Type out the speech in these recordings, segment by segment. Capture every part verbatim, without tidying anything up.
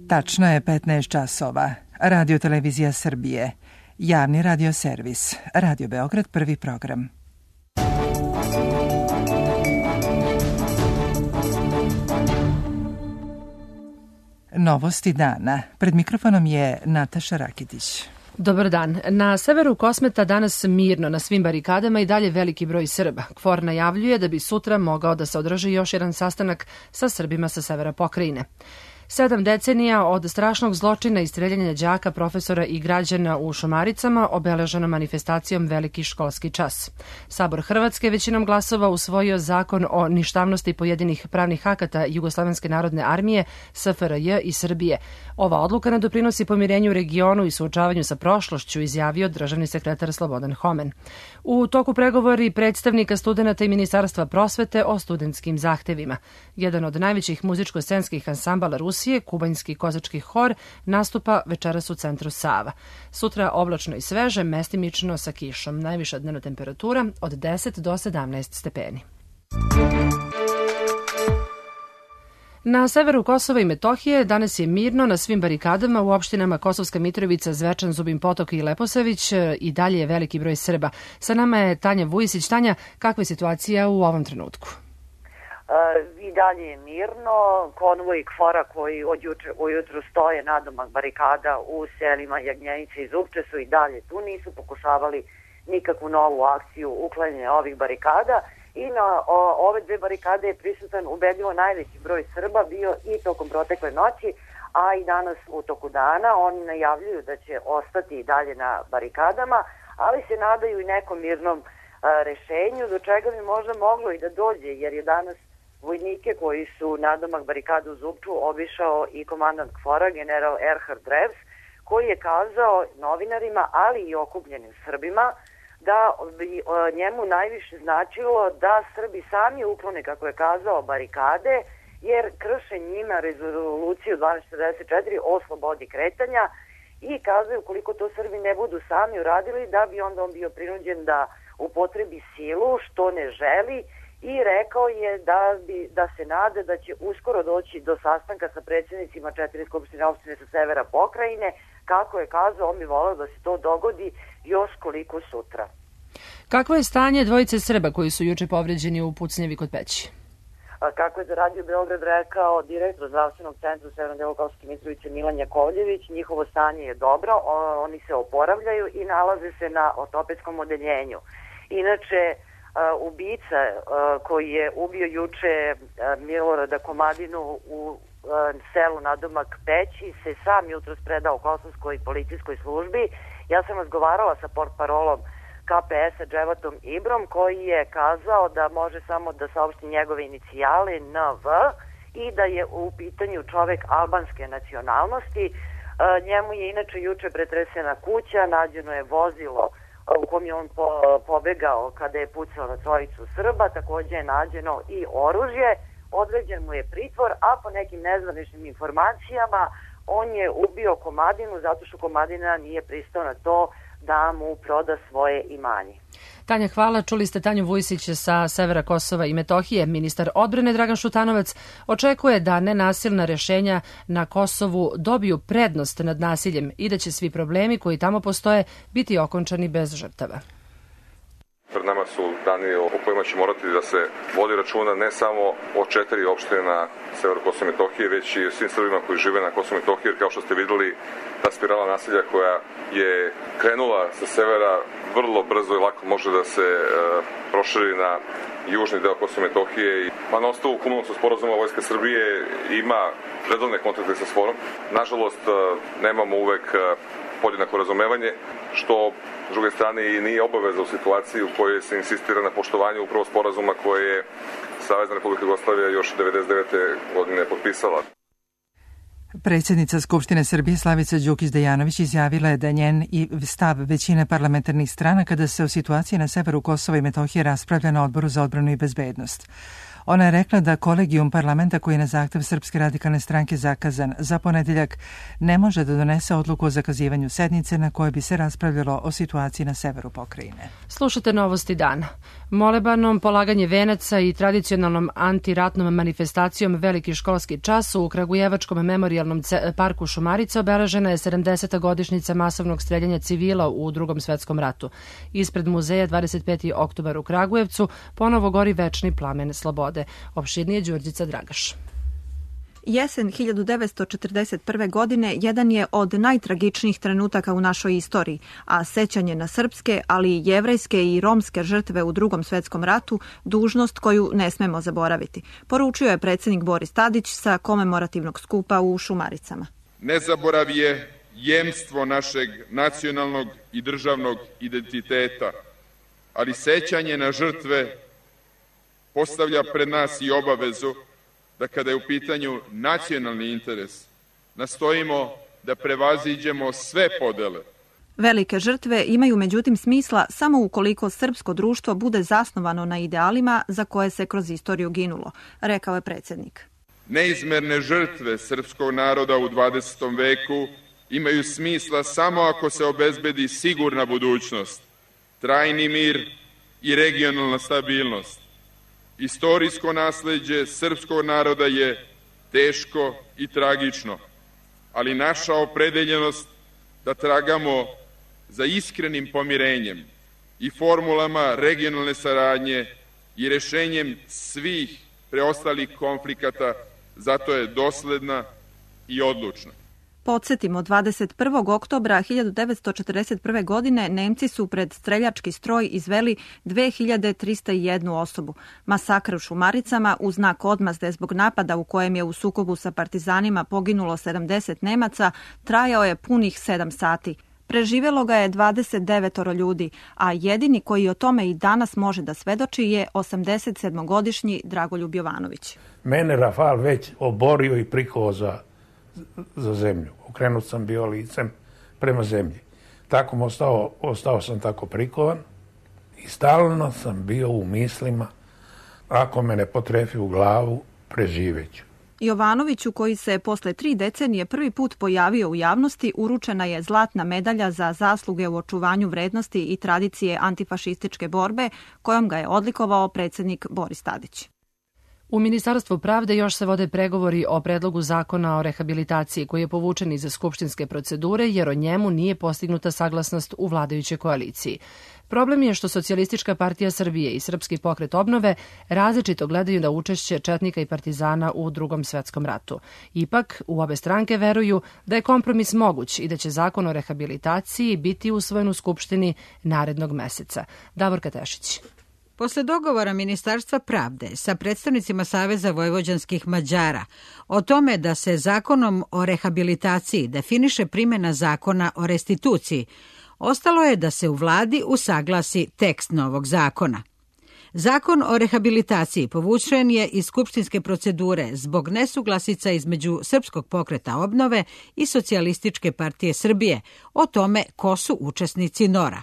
Tačno je petnaest časova. Radio Televizija Srbije. Javni radio servis. Radio Beograd, prvi program. Novosti dana. Pred mikrofonom je Nataša Rakitić. Dobar dan. Na severu Kosmeta danas mirno, na svim barikadama i dalje veliki broj Srba. KFOR najavljuje da bi sutra mogao da se održi još jedan sastanak sa Srbima sa severa pokrajine. Sedam decenija od strašnog zločina i streljanja đaka, profesora i građana u Šumaricama obeleženo manifestacijom Veliki školski čas. Sabor Hrvatske većinom glasova usvojio zakon o ništavnosti pojedinih pravnih akata Jugoslovenske narodne armije, S F R J i Srbije. Ova odluka ne doprinosi pomirenju u regionu i suočavanju sa prošlošću, izjavio državni sekretar Slobodan Homen. U toku pregovori predstavnika studenata i Ministarstva prosvete o studentskim zahtevima. Jedan od najvećih muzičko-scenskih ansambala Rusije, Kubanjski kozački hor, nastupa večeras u centru Sava. Sutra oblačno i sveže, mestimično sa kišom. Najviša dnevna temperatura od deset do sedamnaest stepeni. Na severu Kosova i Metohije danas je mirno na svim barikadama u opštinama Kosovska Mitrovica, Zvečan, Zubin Potok i Leposavić. I dalje je veliki broj Srba. Sa nama je Tanja Vujisić. Tanja, kakva je situacija u ovom trenutku? I dalje je mirno. Konvoj KFOR-a koji od juče ujutru stoje nadomak barikada u selima Jagnjenice i Zupče su i dalje tu, nisu pokušavali nikakvu novu akciju uklanjanja ovih barikada i na o, ove dve barikade je prisutan ubedljivo najveći broj Srba bio i tokom protekle noći, a i danas u toku dana. Oni najavljuju da će ostati i dalje na barikadama, ali se nadaju i nekom mirnom a, rešenju, do čega bi možda moglo i da dođe, jer je danas vojnike koji su nadomak barikada u Zupču obišao i komandant KFOR-a, general Erhard Revs, koji je kazao novinarima, ali i okupljenim Srbima, da bi njemu najviše značilo da Srbi sami uklone, kako je kazao, barikade, jer krše njima rezoluciju dvanaest četrdeset četiri o slobodi kretanja i kazaju koliko to Srbi ne budu sami uradili, da bi onda on bio prinuđen da upotrebi silu, što ne želi, i rekao je da, bi, da se nade da će uskoro doći do sastanka sa predsjednicima četiri skupštine opštine sa severa pokrajine. Kako je kazao, on bi voleo da se to dogodi još koliko sutra. Kakvo je stanje dvojice Srba koji su juče povređeni u pucnjevi kod Peći? A kako je za Radio Beograd rekao direktor zdravstvenog centra u severnom delu Kosovske Mitrovice Milan Jakovljević, njihovo stanje je dobro, oni se oporavljaju i nalaze se na ortopedskom odeljenju. Inače, Uh, ubica uh, koji je ubio juče uh, Milorada Komadinu u uh, selu nadomak Peći se sam jutros predao kosovskoj policijskoj službi. Ja sam razgovarala sa portparolom K P S-a Dževatom Ibrom, koji je kazao da može samo da saopšti njegove inicijale N V i da je u pitanju čovek albanske nacionalnosti. Uh, njemu je inače juče pretresena kuća, nađeno je vozilo u kom je on po, pobegao kada je pucao na trojicu Srba, takođe je nađeno i oružje, određen mu je pritvor, a po nekim nezvaničnim informacijama on je ubio Komadinu zato što Komadina nije pristao na to da mu proda svoje imanje. Tanja, hvala. Čuli ste Tanju Vujisić sa severa Kosova i Metohije. Ministar odbrane Dragan Šutanovac očekuje da nenasilna rešenja na Kosovu dobiju prednost nad nasiljem i da će svi problemi koji tamo postoje biti okončani bez žrtava. Pred nama su dani o kojima će morati da se vodi računa ne samo o četiri opštine na severu Kosova i Metohije, već i svim Srbima koji žive na Kosovu i Metohiji, jer kao što ste videli, ta spirala nasilja koja je krenula sa severa vrlo brzo i lako može da se e, proširi na južni deo Kosova i Metohije. Pa na osnovu Kumanovskog sporazuma Vojska Srbije ima redovne kontakte sa SFOR-om. Nažalost, e, nemamo uvek e, podjednako razumevanje, što s druge strane i nije obaveza u situaciji u kojoj se insistira na poštovanju upravo sporazuma koje je Savezna Republika Jugoslavija još devedeset devete godine potpisala. Predsjednica Skupštine Srbije Slavica Đukić-Dejanović izjavila je da njen i stav većine parlamentarnih strana kada se o situaciji na severu Kosova i Metohije raspravlja na Odboru za odbranu i bezbednost. Ona je rekla da kolegijum parlamenta koji je na zahtev Srpske radikalne stranke zakazan za ponedeljak ne može da donese odluku o zakazivanju sednice na kojoj bi se raspravljalo o situaciji na severu pokrajine. Slušate novosti dana. Molebanom, polaganje venaca i tradicionalnom antiratnom manifestacijom Veliki školski čas u Kragujevačkom memorijalnom parku Šumarica obeležena je sedamdeseta godišnjica masovnog streljanja civila u Drugom svetskom ratu. Ispred muzeja dvadeset peti oktobar u Kragujevcu ponovo gori večni plamen slobode. Opširnije Đurđica Dragaš. Jesen hiljadu devetsto četrdeset prve. godine jedan je od najtragičnijih trenutaka u našoj istoriji, a sećanje na srpske, ali i jevrejske i romske žrtve u Drugom svetskom ratu dužnost koju ne smemo zaboraviti, poručio je predsjednik Boris Tadić sa komemorativnog skupa u Šumaricama. Nezaborav je jemstvo našeg nacionalnog i državnog identiteta, ali sećanje na žrtve postavlja pred nas i obavezu da kada je u pitanju nacionalni interes, nastojimo da prevaziđemo sve podele. Velike žrtve imaju međutim smisla samo ukoliko srpsko društvo bude zasnovano na idealima za koje se kroz istoriju ginulo, rekao je predsjednik. Neizmerne žrtve srpskog naroda u dvadesetom veku imaju smisla samo ako se obezbedi sigurna budućnost, trajni mir i regionalna stabilnost. Istorijsko nasleđe srpskog naroda je teško i tragično, ali naša opredeljenost da tragamo za iskrenim pomirenjem i formulama regionalne saradnje i rešenjem svih preostalih konflikata, zato je dosledna i odlučna. Podsjetimo, dvadeset prvog oktobra hiljadu devetsto četrdeset prve. godine Nemci su pred streljački stroj izveli dve hiljade trista jednu osobu. Masakr u Šumaricama u znak odmazde zbog napada u kojem je u sukobu sa partizanima poginulo sedamdeset Nemaca trajao je punih sedam sati. Preživjelo ga je dvadeset devet ljudi, a jedini koji o tome i danas može da svedoči je osamdesetsedmogodišnji Dragoljub Jovanović. Mene Rafal već oborio i prikovao za, za zemlju. Okrenut sam bio licem prema zemlji. Tako mu ostao, ostao sam tako prikovan i stalno sam bio u mislima, ako me ne potrefi u glavu, preživeću. Jovanoviću, koji se posle tri decenije prvi put pojavio u javnosti, uručena je zlatna medalja za zasluge u očuvanju vrednosti i tradicije antifašističke borbe, kojom ga je odlikovao predsjednik Boris Tadić. U Ministarstvu pravde još se vode pregovori o predlogu zakona o rehabilitaciji koji je povučen iz skupštinske procedure jer o njemu nije postignuta saglasnost u vladajućoj koaliciji. Problem je što Socijalistička partija Srbije i Srpski pokret obnove različito gledaju na učešće četnika i partizana u Drugom svetskom ratu. Ipak, u obe stranke veruju da je kompromis moguć i da će zakon o rehabilitaciji biti usvojen u Skupštini narednog meseca. Davorka Tešić. Posle dogovora Ministarstva pravde sa predstavnicima Saveza vojvođanskih Mađara o tome da se zakonom o rehabilitaciji definiše primjena zakona o restituciji, ostalo je da se u vladi usaglasi tekst novog zakona. Zakon o rehabilitaciji povučen je iz skupštinske procedure zbog nesuglasica između Srpskog pokreta obnove i Socijalističke partije Srbije o tome ko su učesnici N O R-a.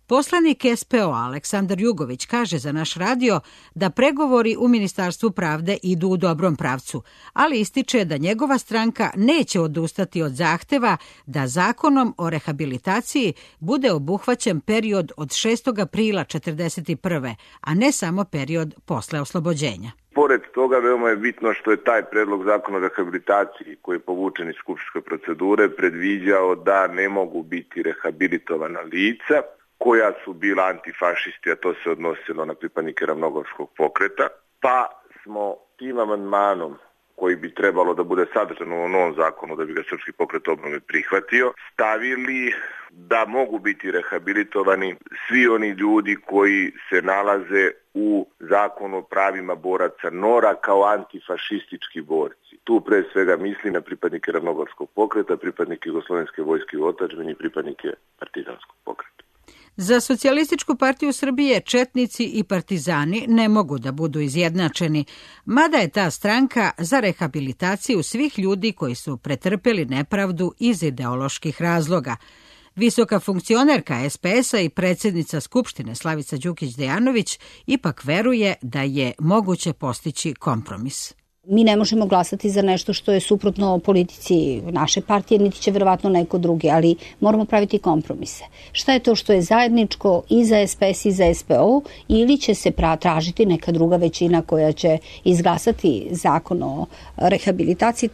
Poslanik S P O Aleksandar Jugović kaže za naš radio da pregovori u Ministarstvu pravde idu u dobrom pravcu, ali ističe da njegova stranka neće odustati od zahteva da zakonom o rehabilitaciji bude obuhvaćen period od šestog aprila četrdeset prve. a ne samo period posle oslobođenja. Pored toga, veoma je bitno što je taj predlog zakona o rehabilitaciji koji je povučen iz skupštinske procedure predviđao da ne mogu biti rehabilitovana lica koja su bila antifašisti, a to se odnosilo na pripadnike Ravnogorskog pokreta, pa smo tim amandmanom koji bi trebalo da bude sadržan u novom zakonu da bi ga Srpski pokret obnove prihvatio, stavili da mogu biti rehabilitovani svi oni ljudi koji se nalaze u zakonu o pravima boraca N O R-a kao antifašistički borci. Tu pre svega mislim na pripadnike Ravnogorskog pokreta, pripadnike Jugoslovenske vojske u otadžbini i pripadnike Partizanskog pokreta. Za Socijalističku partiju Srbije četnici i partizani ne mogu da budu izjednačeni, mada je ta stranka za rehabilitaciju svih ljudi koji su pretrpeli nepravdu iz ideoloških razloga. Visoka funkcionerka es pe es-a i predsjednica Skupštine Slavica Đukić-Dejanović ipak veruje da je moguće postići kompromis. Mi ne možemo glasati za nešto što je suprotno politici naše partije, niti će verovatno neko drugi, ali moramo praviti kompromise. Šta je to što je zajedničko i za es pe es i za es pe o, ili će se tražiti neka druga većina koja će izglasati zakon o rehabilitaciji?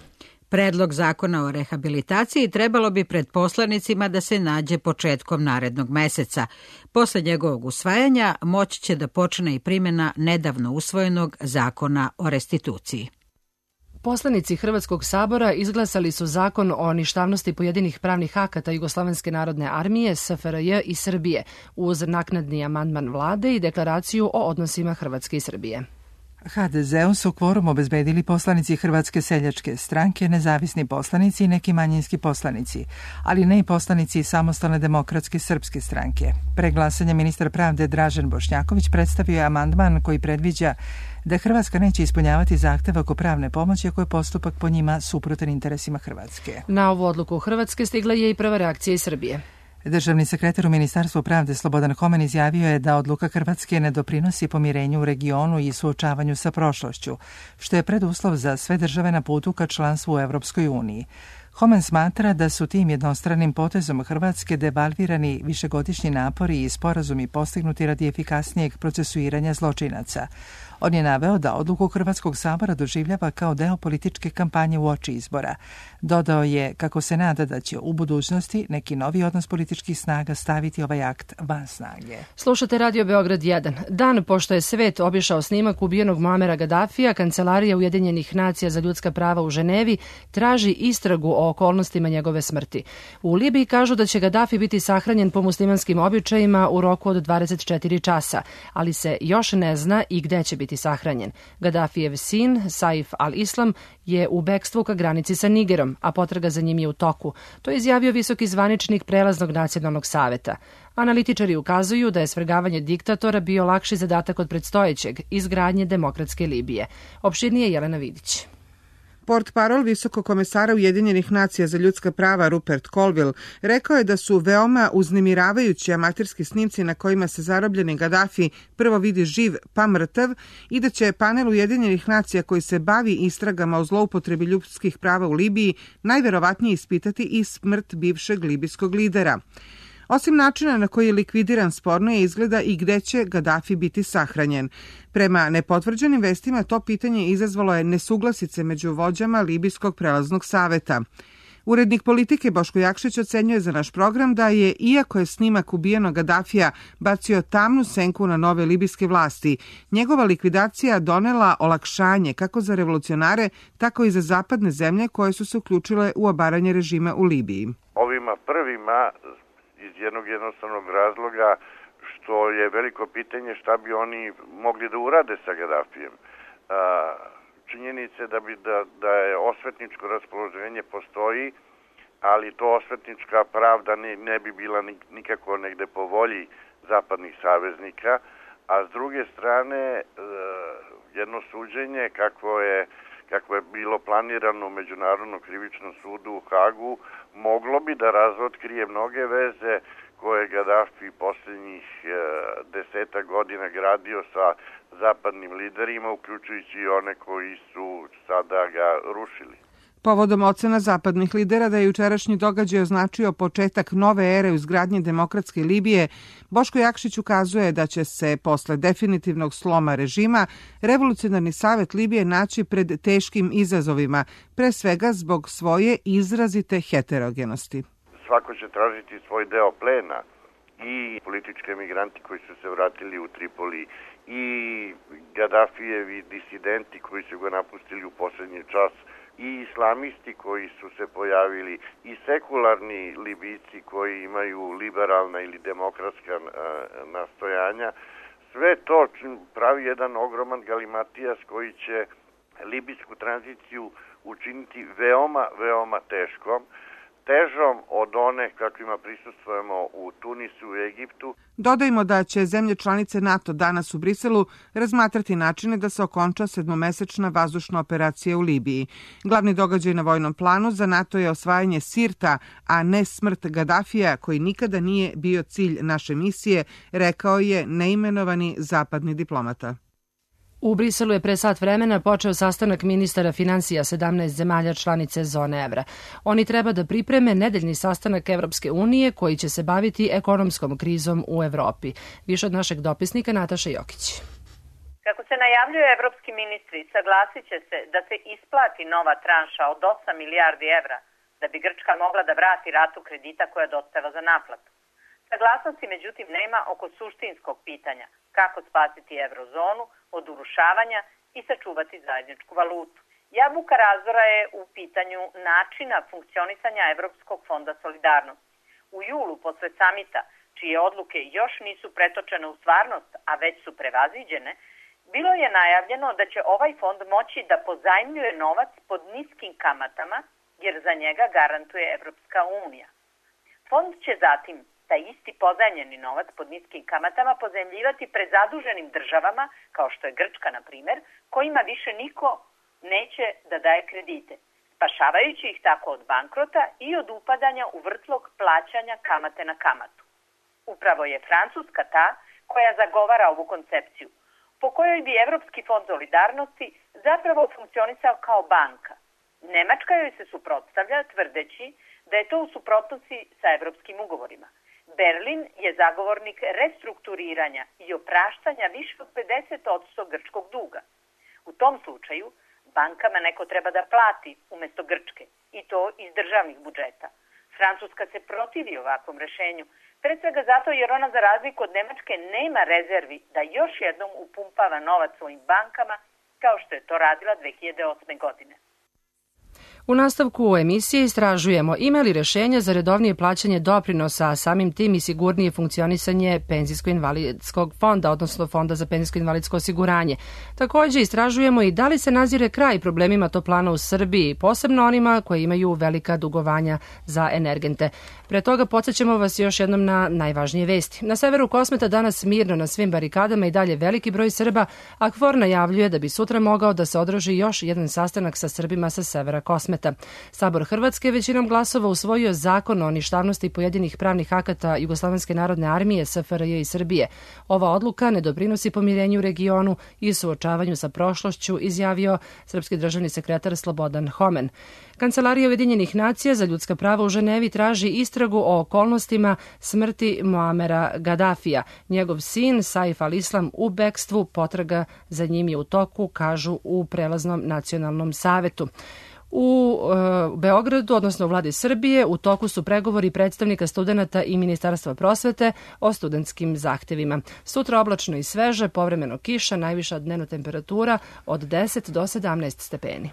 Predlog zakona o rehabilitaciji trebalo bi pred poslanicima da se nađe početkom narednog meseca. Posle njegovog usvajanja moći će da počne i primjena nedavno usvojenog zakona o restituciji. Poslanici Hrvatskog sabora izglasali su zakon o ništavnosti pojedinih pravnih akata Jugoslovenske narodne armije, es fe er je i Srbije, uz naknadni amandman vlade i deklaraciju o odnosima Hrvatske i Srbije. ha de ze-u su kvorum obezbedili poslanici Hrvatske seljačke stranke, nezavisni poslanici i neki manjinski poslanici, ali ne i poslanici Samostalne demokratske srpske stranke. Pre glasanja ministar pravde Dražen Bošnjaković predstavio je amandman koji predviđa da Hrvatska neće ispunjavati zahtev oko pravne pomoći ako je postupak po njima suprotan interesima Hrvatske. Na ovu odluku Hrvatske stigla je i prva reakcija iz Srbije. Državni sekretar u Ministarstvu pravde Slobodan Homen izjavio je da odluka Hrvatske ne doprinosi pomirenju u regionu i suočavanju sa prošlošću, što je preduslov za sve države na putu ka članstvu u Evropskoj uniji. Homen smatra da su tim jednostranim potezom Hrvatske devalvirani višegodišnji napori i sporazumi postignuti radi efikasnijeg procesuiranja zločinaca. On je naveo da odluku Hrvatskog sabora doživljava kao deo političke kampanje uoči izbora. Dodao je kako se nada da će u budućnosti neki novi odnos političkih snaga staviti ovaj akt van snage. Slušate Radio Beograd jedan. Dan pošto je svet obišao snimak ubijenog Muamera Gadafija, Kancelarija Ujedinjenih nacija za ljudska prava u Ženevi traži istragu o okolnostima njegove smrti. U Libiji kažu da će Gadafi biti sahranjen po muslimanskim običajima u roku od dvadeset četiri časa, ali se još ne zna i gde će biti sahranjen. Gadafijev sin, Saif al-Islam, je u bekstvu ka granici sa Nigerom, a potraga za njim je u toku. To je izjavio visoki zvaničnik Prelaznog nacionalnog saveta. Analitičari ukazuju da je svrgavanje diktatora bio lakši zadatak od predstojećeg, izgradnje demokratske Libije. Opširnije Jelena Vidić. Portparol visokog komesara Ujedinjenih nacija za ljudska prava Rupert Colville rekao je da su veoma uznemiravajući amaterski snimci na kojima se zarobljeni Gadafi prvo vidi živ pa mrtav i da će panel Ujedinjenih nacija koji se bavi istragama o zloupotrebi ljudskih prava u Libiji najverovatnije ispitati i smrt bivšeg libijskog lidera. Osim načina na koji je likvidiran, sporno je izgleda i gde će Gadafi biti sahranjen. Prema nepotvrđenim vestima to pitanje izazvalo je nesuglasice među vođama Libijskog prelaznog saveta. Urednik politike Boško Jakšić ocenjuje za naš program da je, iako je snimak ubijenog Gadafija bacio tamnu senku na nove libijske vlasti, njegova likvidacija donela olakšanje kako za revolucionare, tako i za zapadne zemlje koje su se uključile u obaranje režima u Libiji. Ovima prvima iz jednog jednostavnog razloga što je veliko pitanje šta bi oni mogli da urade sa Gadafijem. Činjenice da bi da, da je osvetničko raspoloženje postoji, ali to osvetnička pravda ne, ne bi bila nikako negde po volji zapadnih saveznika, a s druge strane jedno suđenje kakvo je kako je bilo planirano u Međunarodnom krivičnom sudu u Hagu, moglo bi da razotkrije mnoge veze koje Gadafi posljednjih e, deseta godina gradio sa zapadnim liderima, uključujući i one koji su sada ga rušili. Povodom ocena zapadnih lidera da je jučerašnji događaj označio početak nove ere u izgradnji demokratske Libije, Boško Jakšić ukazuje da će se posle definitivnog sloma režima Revolucionarni savet Libije naći pred teškim izazovima, pre svega zbog svoje izrazite heterogenosti. Svako će tražiti svoj deo plena, i politički emigranti koji su se vratili u Tripoli, i Gadafijevi disidenti koji su ga napustili u poslednji čas, i islamisti koji su se pojavili, i sekularni Libijci koji imaju liberalna ili demokratska nastojanja. Sve to pravi jedan ogroman galimatijas koji će libijsku tranziciju učiniti veoma, veoma teškom. težom od one kakvima prisustvujemo u Tunisu, u Egiptu. Dodajmo da će zemlje članice NATO danas u Briselu razmatrati načine da se okonča sedmomesečna vazdušna operacija u Libiji. Glavni događaj na vojnom planu za NATO je osvajanje Sirta, a ne smrt Gadafija, koji nikada nije bio cilj naše misije, rekao je neimenovani zapadni diplomata. U Briselu je pre sat vremena počeo sastanak ministara finansija sedamnaest zemalja članice zone evra. Oni treba da pripreme nedeljni sastanak Evropske unije koji će se baviti ekonomskom krizom u Evropi. Više od našeg dopisnika Nataša Jokić. Kako se najavljuju evropski ministri, saglasit će se da se isplati nova tranša od osam milijardi evra da bi Grčka mogla da vrati ratu kredita koja dospeva za naplatu. Saglasnosti međutim nema oko suštinskog pitanja kako spasiti eurozonu od urušavanja i sačuvati zajedničku valutu. Jabuka razdora je u pitanju načina funkcionisanja Evropskog fonda solidarnosti. U julu, posle samita, čije odluke još nisu pretočene u stvarnost, a već su prevaziđene, bilo je najavljeno da će ovaj fond moći da pozajmljuje novac pod niskim kamatama, jer za njega garantuje Evropska unija. Fond će zatim taj isti pozajmljeni novac pod niskim kamatama pozajmljivati prezaduženim državama, kao što je Grčka, na primjer, kojima više niko neće da daje kredite, spašavajući ih tako od bankrota i od upadanja u vrtlog plaćanja kamate na kamatu. Upravo je Francuska ta koja zagovara ovu koncepciju, po kojoj bi Evropski fond solidarnosti zapravo funkcionisao kao banka. Nemačka joj se suprotstavlja tvrdeći da je to u suprotnosti sa evropskim ugovorima. Berlin je zagovornik restrukturiranja i opraštanja više od pedeset posto grčkog duga. U tom slučaju bankama neko treba da plati umjesto Grčke i to iz državnih budžeta. Francuska se protivi ovakvom rešenju, pre svega zato jer ona za razliku od Nemačke nema rezervi da još jednom upumpava novac svojim bankama kao što je to radila dve hiljade osme godine. U nastavku emisije istražujemo ima li rešenja za redovnije plaćanje doprinosa, a samim tim i sigurnije funkcionisanje penzijsko-invalidskog fonda, odnosno fonda za penzijsko-invalidsko osiguranje. Također istražujemo i da li se nazire kraj problemima toplana u Srbiji, posebno onima koji imaju velika dugovanja za energente. Pre toga podsjećamo vas još jednom na najvažnije vesti. Na severu Kosmeta danas mirno na svim barikadama i dalje veliki broj Srba, a KFOR najavljuje da bi sutra mogao da se održi još jedan sastanak sa Srbima sa severa Kosmeta. Sabor Hrvatske većinom glasova usvojio zakon o ništavnosti pojedinih pravnih akata Jugoslovenske narodne armije, S F R J i Srbije. Ova odluka ne doprinosi pomirenju u regionu i suočavanju sa prošlošću, izjavio srpski državni sekretar Slobodan Homen. Kancelarija Ujedinjenih nacija za ljudska prava u Ženevi traži istragu o okolnostima smrti Muamera Gadafija. Njegov sin, Saif al-Islam, u bekstvu, potraga za njim je u toku, kažu u prelaznom nacionalnom savetu. U e, Beogradu, odnosno u vladi Srbije, u toku su pregovori predstavnika studenata i Ministarstva prosvete o studentskim zahtevima. Sutra oblačno i sveže, povremeno kiša, najviša dnevna temperatura od deset do sedamnaest stepeni.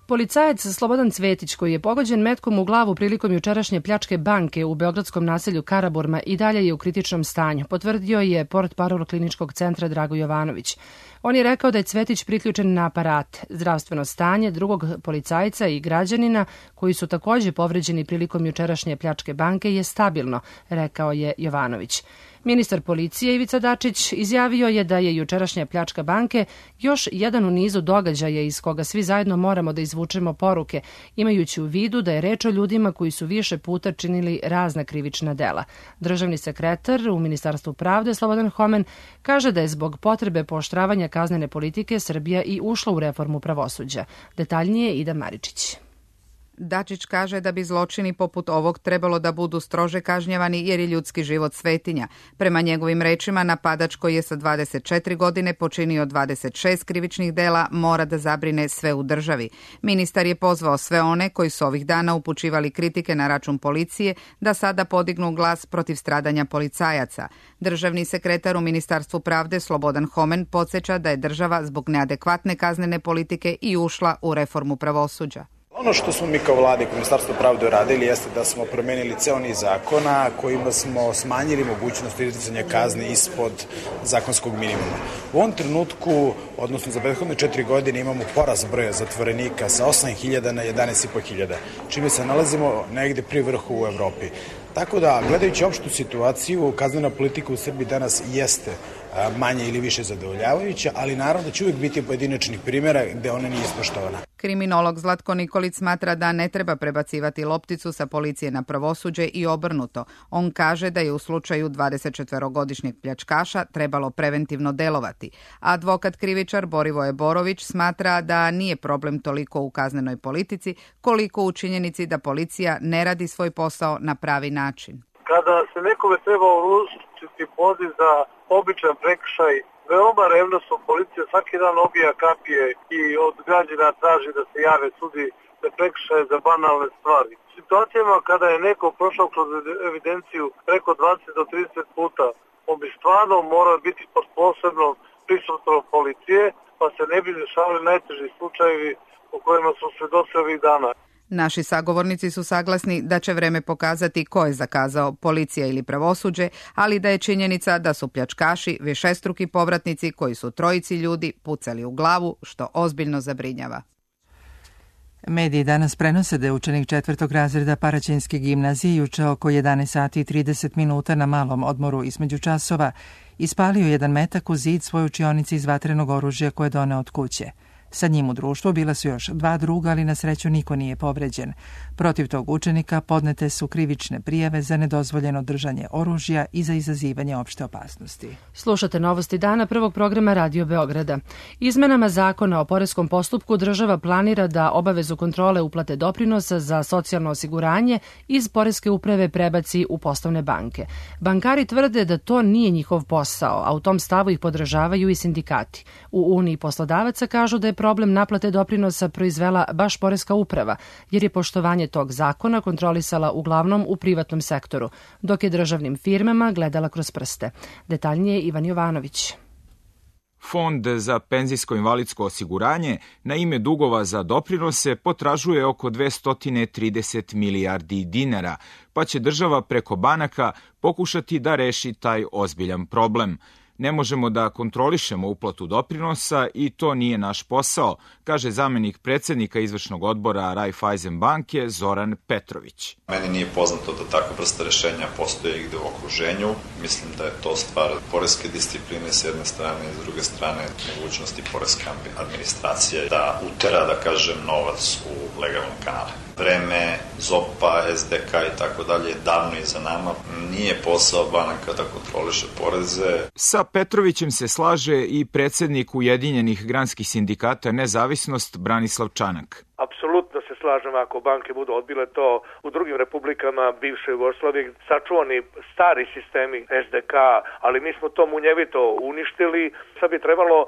Policajac Slobodan Cvetić, koji je pogođen metkom u glavu prilikom jučerašnje pljačke banke u beogradskom naselju Karaburma, i dalje je u kritičnom stanju, potvrdio je portparol kliničkog centra Drago Jovanović. On je rekao da je Cvetić priključen na aparat. Zdravstveno stanje drugog policajca i građanina, koji su također povređeni prilikom jučerašnje pljačke banke, je stabilno, rekao je Jovanović. Ministar policije Ivica Dačić izjavio je da je jučerašnja pljačka banke još jedan u nizu događaja iz koga svi zajedno moramo da izvučemo poruke, imajući u vidu da je reč o ljudima koji su više puta činili razna krivična dela. Državni sekretar u Ministarstvu pravde Slobodan Homen kaže da je zbog potrebe pooštravanja kaznene politike Srbija i ušla u reformu pravosuđa. Detaljnije Ida Maričić. Dačić kaže da bi zločini poput ovog trebalo da budu strože kažnjavani jer je ljudski život svetinja. Prema njegovim rečima, napadač koji je sa dvadeset četiri godine počinio dvadeset šest krivičnih dela mora da zabrine sve u državi. Ministar je pozvao sve one koji su ovih dana upućivali kritike na račun policije da sada podignu glas protiv stradanja policajaca. Državni sekretar u Ministarstvu pravde Slobodan Homen podsjeća da je država zbog neadekvatne kaznene politike i ušla u reformu pravosuđa. Ono što smo mi kao vlada i kao Ministarstvo pravde uradili jeste da smo promenili ceo niz zakona kojima smo smanjili mogućnost izricanja kazne ispod zakonskog minimuma. U ovom trenutku, odnosno za prethodne četiri godine, imamo porast broja zatvorenika sa osam hiljada na jedanaest hiljada petsto, čime se nalazimo negde pri vrhu u Evropi. Tako da, gledajući opštu situaciju, kaznena politika u Srbiji danas jeste manje ili više zadovoljavajuća, ali naravno da će uvijek biti pojedinačnih primjera gde ona nije ispoštovana. Kriminolog Zlatko Nikolić smatra da ne treba prebacivati lopticu sa policije na pravosuđe i obrnuto. On kaže da je u slučaju dvadesetčetvorogodišnjeg pljačkaša trebalo preventivno delovati. Advokat krivičar Borivoje Borović smatra da nije problem toliko u kaznenoj politici, koliko u činjenici da policija ne radi svoj posao na pravi način. Kada se nekome treba uručiti poziv za običan prekršaj, veoma revnosno policija svaki dan obija kapije i od građana traži da se jave sudi za prekršaje za banalne stvari. U situacijama kada je neko prošao kroz evidenciju preko dvadeset do trideset puta, on bi stvarno morao biti pod posebnom prisustvom policije, pa se ne bi dešavali najteži slučajevi u kojima su svedoci ovih dana. Naši sagovornici su saglasni da će vreme pokazati ko je zakazao, policija ili pravosuđe, ali da je činjenica da su pljačkaši višestruki povratnici koji su trojici ljudi pucali u glavu, što ozbiljno zabrinjava. Mediji danas prenose da je učenik četvrtog razreda Paraćinske gimnazije juče oko jedanaest sati i trideset minuta na malom odmoru između časova ispalio jedan metak u zid svoje učionice iz vatrenog oružja koje je doneo od kuće. Sa njim u društvu bila su još dva druga, ali na sreću niko nije povređen. Protiv tog učenika podnete su krivične prijave za nedozvoljeno držanje oružja i za izazivanje opšte opasnosti. Slušate novosti dana prvog programa Radio Beograda. Izmenama zakona o poreskom postupku država planira da obavezu kontrole uplate doprinosa za socijalno osiguranje iz poreske uprave prebaci u poslovne banke. Bankari tvrde da to nije njihov posao, a u tom stavu ih podržavaju i sindikati. U Uniji poslodavaca kažu da je problem naplate doprinosa proizvela baš poreska uprava, jer je poštovanje tog zakona kontrolisala uglavnom u privatnom sektoru, dok je državnim firmama gledala kroz prste. Detaljnije Ivan Jovanović. Fond za penzijsko-invalidsko osiguranje na ime dugova za doprinose potražuje oko dvesta trideset milijardi dinara, pa će država preko banaka pokušati da reši taj ozbiljan problem. Ne možemo da kontrolišemo uplatu doprinosa i to nije naš posao, kaže zamenik predsednika izvršnog odbora Raiffeisen banke Zoran Petrović. Meni nije poznato da takva vrsta rešenja postoje igde u okruženju. Mislim da je to stvar poreske discipline s jedne strane i s druge strane mogućnosti poreske administracije da utera, da kažem, novac u legalne kanale. Vreme ZOP-a, es de ka i tako dalje davno iza nama. Nije posao banaka da kontroliše poreze. Sa Petrovićem se slaže i predsednik Ujedinjenih granskih sindikata Nezavisnost Branislav Čanak. Apsolutno se slažem ako banke budu odbile to u drugim republikama bivše Jugoslavije, sačuvani stari sistemi es de ka, ali mi smo to munjevito uništili. Sad bi trebalo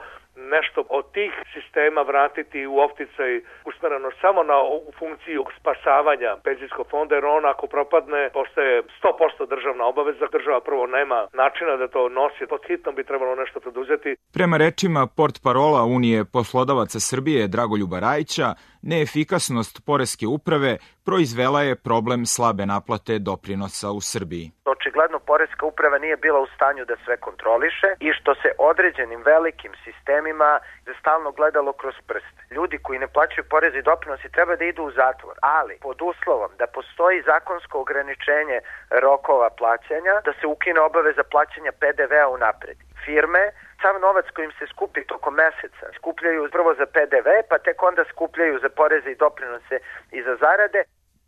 nešto od tih sistema vratiti u opticaj usmereno samo na funkciju spasavanja penzijskog fonda, jer on ako propadne postaje sto posto državna obaveza. Država prvo nema načina da to nosi, pod hitnom bi trebalo nešto preduzeti. Prema rečima portparola Unije poslodavaca Srbije Dragoljuba Rajića, neefikasnost poreske uprave proizvela je problem slabe naplate doprinosa u Srbiji. Očigledno poreska uprava nije bila u stanju da sve kontroliše i što se određenim velikim sistemima stalno gledalo kroz prste. Ljudi koji ne plaćaju poreze i doprinosi treba da idu u zatvor, ali pod uslovom da postoji zakonsko ograničenje rokova plaćanja, da se ukine obaveza plaćanja pe de ve a unapred. Firme sav novac kojim se skupi tokom meseca skupljaju prvo za pe de ve, pa tek onda skupljaju za poreze i doprinose i za zarade.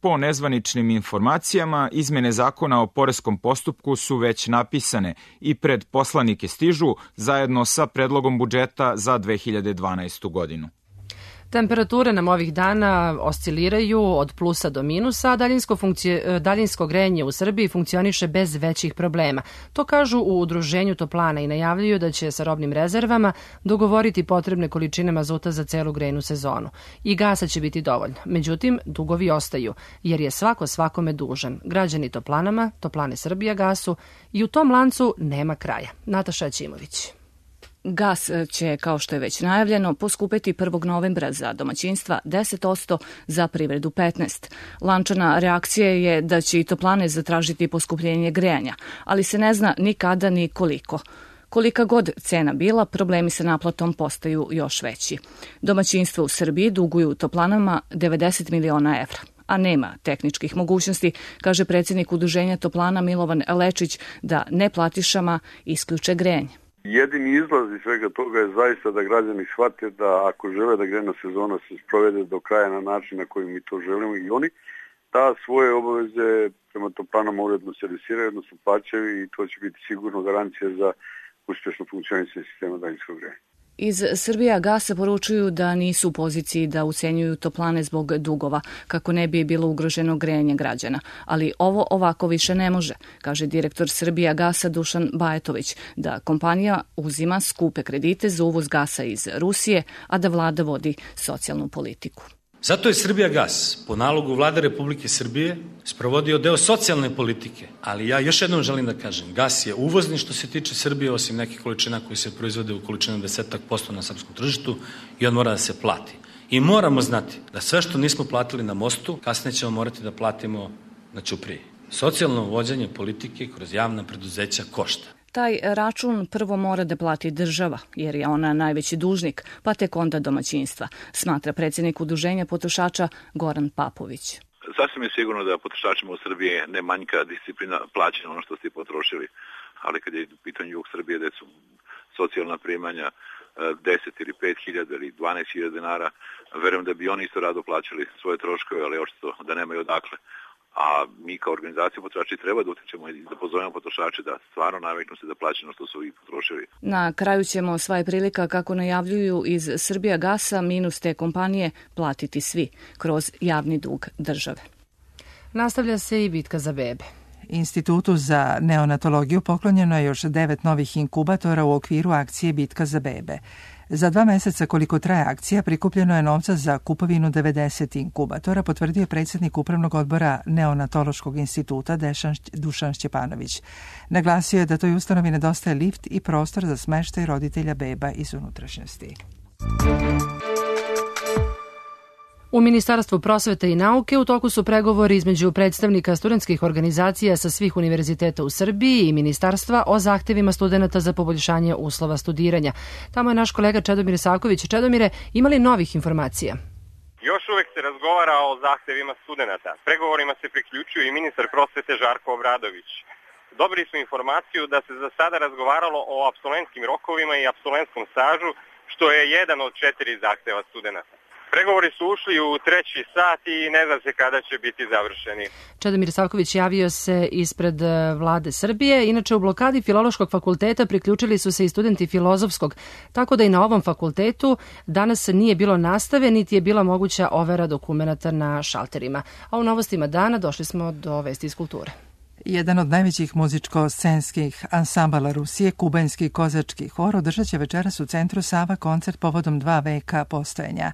Po nezvaničnim informacijama, izmene zakona o poreskom postupku su već napisane i pred poslanike stižu zajedno sa predlogom budžeta za dve hiljade dvanaestu godinu. Temperature nam ovih dana osciliraju od plusa do minusa, a daljinsko, funkci... daljinsko grejanje u Srbiji funkcioniše bez većih problema. To kažu u Udruženju toplana i najavljuju da će sa robnim rezervama dogovoriti potrebne količine mazuta za celu grejnu sezonu. I gasa će biti dovoljno. Međutim, dugovi ostaju, jer je svako svakome dužan. Građani toplanama, Toplane Srbija gasu i u tom lancu nema kraja. Nataša Ćimović. Gas će, kao što je već najavljeno, poskupeti prvog novembra za domaćinstva deset posto, za privredu petnaest posto. Lančana reakcija je da će i toplane zatražiti poskupljenje grejanja, ali se ne zna ni kada ni koliko. Kolika god cena bila, problemi sa naplatom postaju još veći. Domaćinstva u Srbiji duguju toplanama devedeset miliona evra, a nema tehničkih mogućnosti, kaže predsjednik Udruženja toplana Milovan Lečić, da neplatišama isključe grejanje. Jedini izlaz iz svega toga je zaista da građani shvate da ako žele da grejna sezona se sprovede do kraja na način na koji mi to želimo i oni, da svoje obaveze prema toplanama uredno servisiraju, odnosno plaćaju i to će biti sigurno garancija za uspješno funkcionisanje sistema daljinskog grejanja. Iz Srbija gasa poručuju da nisu u poziciji da ucenjuju toplane zbog dugova, kako ne bi bilo ugroženo grejanje građana. Ali ovo ovako više ne može, kaže direktor Srbija gasa Dušan Bajetović, da kompanija uzima skupe kredite za uvoz gasa iz Rusije, a da vlada vodi socijalnu politiku. Zato je Srbijagas po nalogu vlade Republike Srbije sprovodio deo socijalne politike, ali ja još jednom želim da kažem, gas je uvozni što se tiče Srbije, osim nekih količina koji se proizvode u količinu deset posto na srpskom tržištu i on mora da se plati. I moramo znati da sve što nismo platili na mostu, kasnije ćemo morati da platimo na ćupriji. Socijalno vođenje politike kroz javna preduzeća košta. Taj račun prvo mora da plati država, jer je ona najveći dužnik, pa tek onda domaćinstva, smatra predsjednik Udruženja potrošača Goran Papović. Sasvim je sigurno da potrošačima u Srbiji ne manjka disciplina plaćanja ono što ste potrošili, ali kad je u pitanju jug Srbije gde su socijalna primanja deset ili pet hiljada ili dvanaest hiljada dinara, verujem da bi oni isto rado plaćali svoje troškove, ali očito da nemaju odakle. A mi kao organizacija potrošači treba da utičemo i da pozovemo potrošače da stvarno naviknu se da plaćaju ono što su i potrošili. Na kraju ćemo sva je prilika, kako najavljuju iz Srbija gasa, minus te kompanije platiti svi kroz javni dug države. Nastavlja se i bitka za bebe. Institutu za neonatologiju poklonjeno je još devet novih inkubatora u okviru akcije Bitka za bebe. Za dva meseca koliko traje akcija prikupljeno je novca za kupovinu devedeset inkubatora, potvrdio predsjednik Upravnog odbora Neonatološkog instituta Dušan Šćepanović. Naglasio je da toj ustanovi nedostaje lift i prostor za smeštaj roditelja beba iz unutrašnjosti. U Ministarstvu prosvete i nauke u toku su pregovori između predstavnika studentskih organizacija sa svih univerziteta u Srbiji i Ministarstva o zahtevima studenta za poboljšanje uslova studiranja. Tamo je naš kolega Čedomir Saković. Čedomire, ima li novih informacija? Još uvek se razgovara o zahtevima studenta. Pregovorima se priključuje i ministar prosvete Žarko Obradović. Dobili smo informaciju da se za sada razgovaralo o apsolentskim rokovima i apsolentskom stažu, što je jedan od četiri zahteva studenta. Pregovori su ušli u treći sat i ne zna se kada će biti završeni. Čedomir Savković javio se ispred vlade Srbije. Inače, u blokadi Filološkog fakulteta priključili su se i studenti Filozofskog, tako da i na ovom fakultetu danas nije bilo nastave, niti je bila moguća overa dokumenata na šalterima. A u novostima dana došli smo do vesti iz kulture. Jedan od najvećih muzičko-scenskih ansambala Rusije, kubanski kozački hor, održat će večeras u centru Sava koncert povodom dva veka postojanja.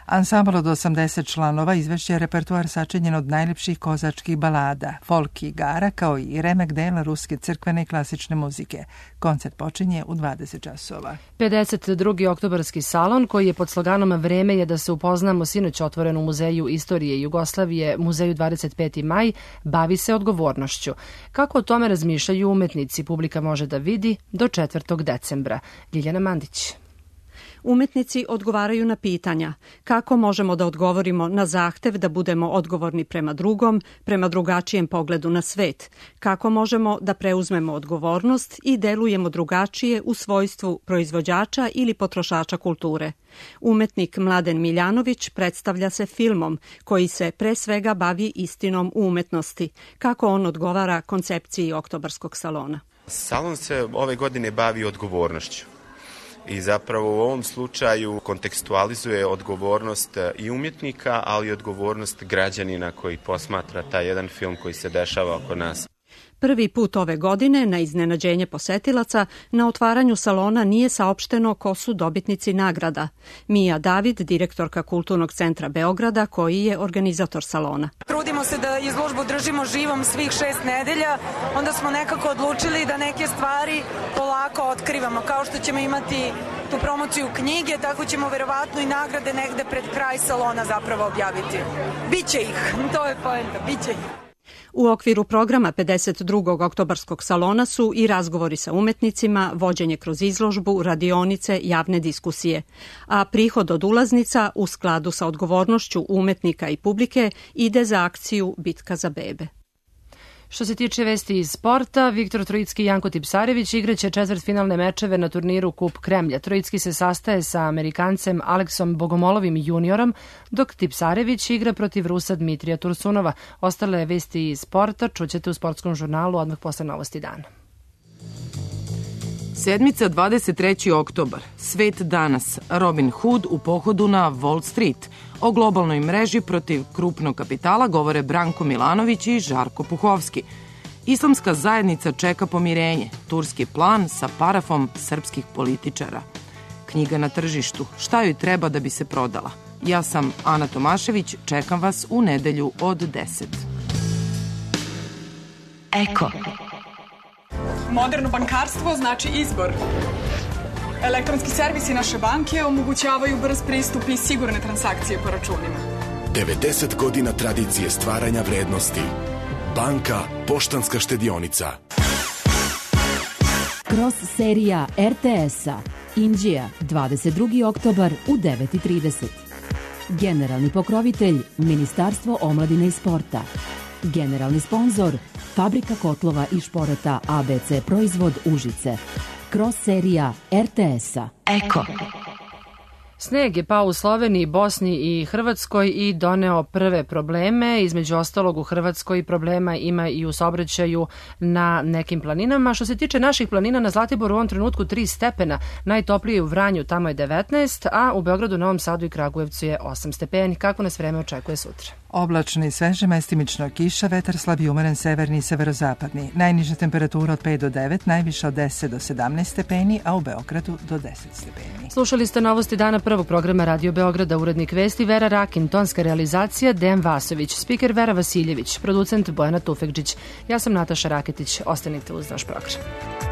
Ansambal od osamdeset članova izvešće repertoar sačinjen od najljepših kozačkih balada, folk i igara, kao i remek dela ruske crkvene i klasične muzike. Koncert počinje u dvadeset časova. pedeset drugi oktobarski salon, koji je pod sloganom Vreme je da se upoznamo, sinoć otvoren u Muzeju istorije Jugoslavije, Muzeju dvadeset peti maj, bavi se odgovornošću. Kako o tome razmišljaju umetnici, publika može da vidi do četvrtog decembra. Ljiljana Mandić. Umetnici odgovaraju na pitanja kako možemo da odgovorimo na zahtev da budemo odgovorni prema drugom, prema drugačijem pogledu na svet, kako možemo da preuzmemo odgovornost i delujemo drugačije u svojstvu proizvođača ili potrošača kulture. Umetnik Mladen Miljanović predstavlja se filmom koji se pre svega bavi istinom u umetnosti, kako on odgovara koncepciji Oktobarskog salona. Salon se ove godine bavi odgovornošću. I zapravo u ovom slučaju kontekstualizuje odgovornost i umjetnika, ali i odgovornost građanina koji posmatra taj jedan film koji se dešava oko nas. Prvi put ove godine, na iznenađenje posetilaca, na otvaranju salona nije saopšteno ko su dobitnici nagrada. Mija David, direktorka Kulturnog centra Beograda, koji je organizator salona. Trudimo se da izložbu držimo živom svih šest nedelja, onda smo nekako odlučili da neke stvari polako otkrivamo. Kao što ćemo imati tu promociju knjige, tako ćemo verovatno i nagrade negde pred kraj salona zapravo objaviti. Biće ih, to je poenta, biće ih. U okviru programa pedeset drugog oktobarskog salona su i razgovori sa umetnicima, vođenje kroz izložbu, radionice, javne diskusije. A prihod od ulaznica, u skladu sa odgovornošću umetnika i publike, ide za akciju Bitka za bebe. Što se tiče vesti iz sporta, Viktor Trojicki i Janko Tipsarević igraće četvrtfinalne mečeve na turniru Kup Kremlja. Trojicki se sastaje sa Amerikancem Aleksom Bogomolovim juniorom, dok Tipsarević igra protiv Rusa Dmitrija Tursunova. Ostale vesti iz sporta čućete u sportskom žurnalu odmah posle novosti dana. Sedmica dvadeset treći oktobar. Svet danas. Robin Hood u pohodu na Wall Street. O globalnoj mreži protiv krupnog kapitala govore Branko Milanović i Žarko Puhovski. Islamska zajednica čeka pomirenje. Turski plan sa parafom srpskih političara. Knjiga na tržištu. Šta joj treba da bi se prodala? Ja sam Ana Tomašević. Čekam vas u nedelju od deset. Eko. Moderno bankarstvo znači izbor. Elektronski servisi naše banke omogućavaju brz pristup i sigurne transakcije po računima. devedeset godina tradicije stvaranja vrednosti. Banka Poštanska štedionica. Cross serija er te es-a. Inđija, dvadeset drugi oktobar u devet i trideset. Generalni pokrovitelj Ministarstvo omladine i sporta. Generalni sponzor Fabrika kotlova i šporeta a be ce Proizvod Užice. Cross serija er te es-a. Eko. Sneg je pao u Sloveniji, Bosni i Hrvatskoj i doneo prve probleme. Između ostalog u Hrvatskoj problema ima i u saobraćaju na nekim planinama. Što se tiče naših planina, na Zlatiboru u ovom trenutku tri stepena, najtoplije u Vranju, tamo je devetnaest, a u Beogradu, Novom Sadu i Kragujevcu je osam stepeni. Kako nas vreme očekuje sutra? Oblačno i sveže, mestimično kiša, vetar slab i umeren severni i severozapadni. Najniža temperatura od pet do devet, najviša od deset do sedamnaest stepeni, a u Beogradu do deset stepeni. Slušali ste novosti dana prvog programa Radio Beograda, urednik vesti Vera Rakin, tonska realizacija Dejan Vasović, spiker Vera Vasiljević, producent Bojana Tufekđić. Ja sam Nataša Raketić. Ostanite uz naš program.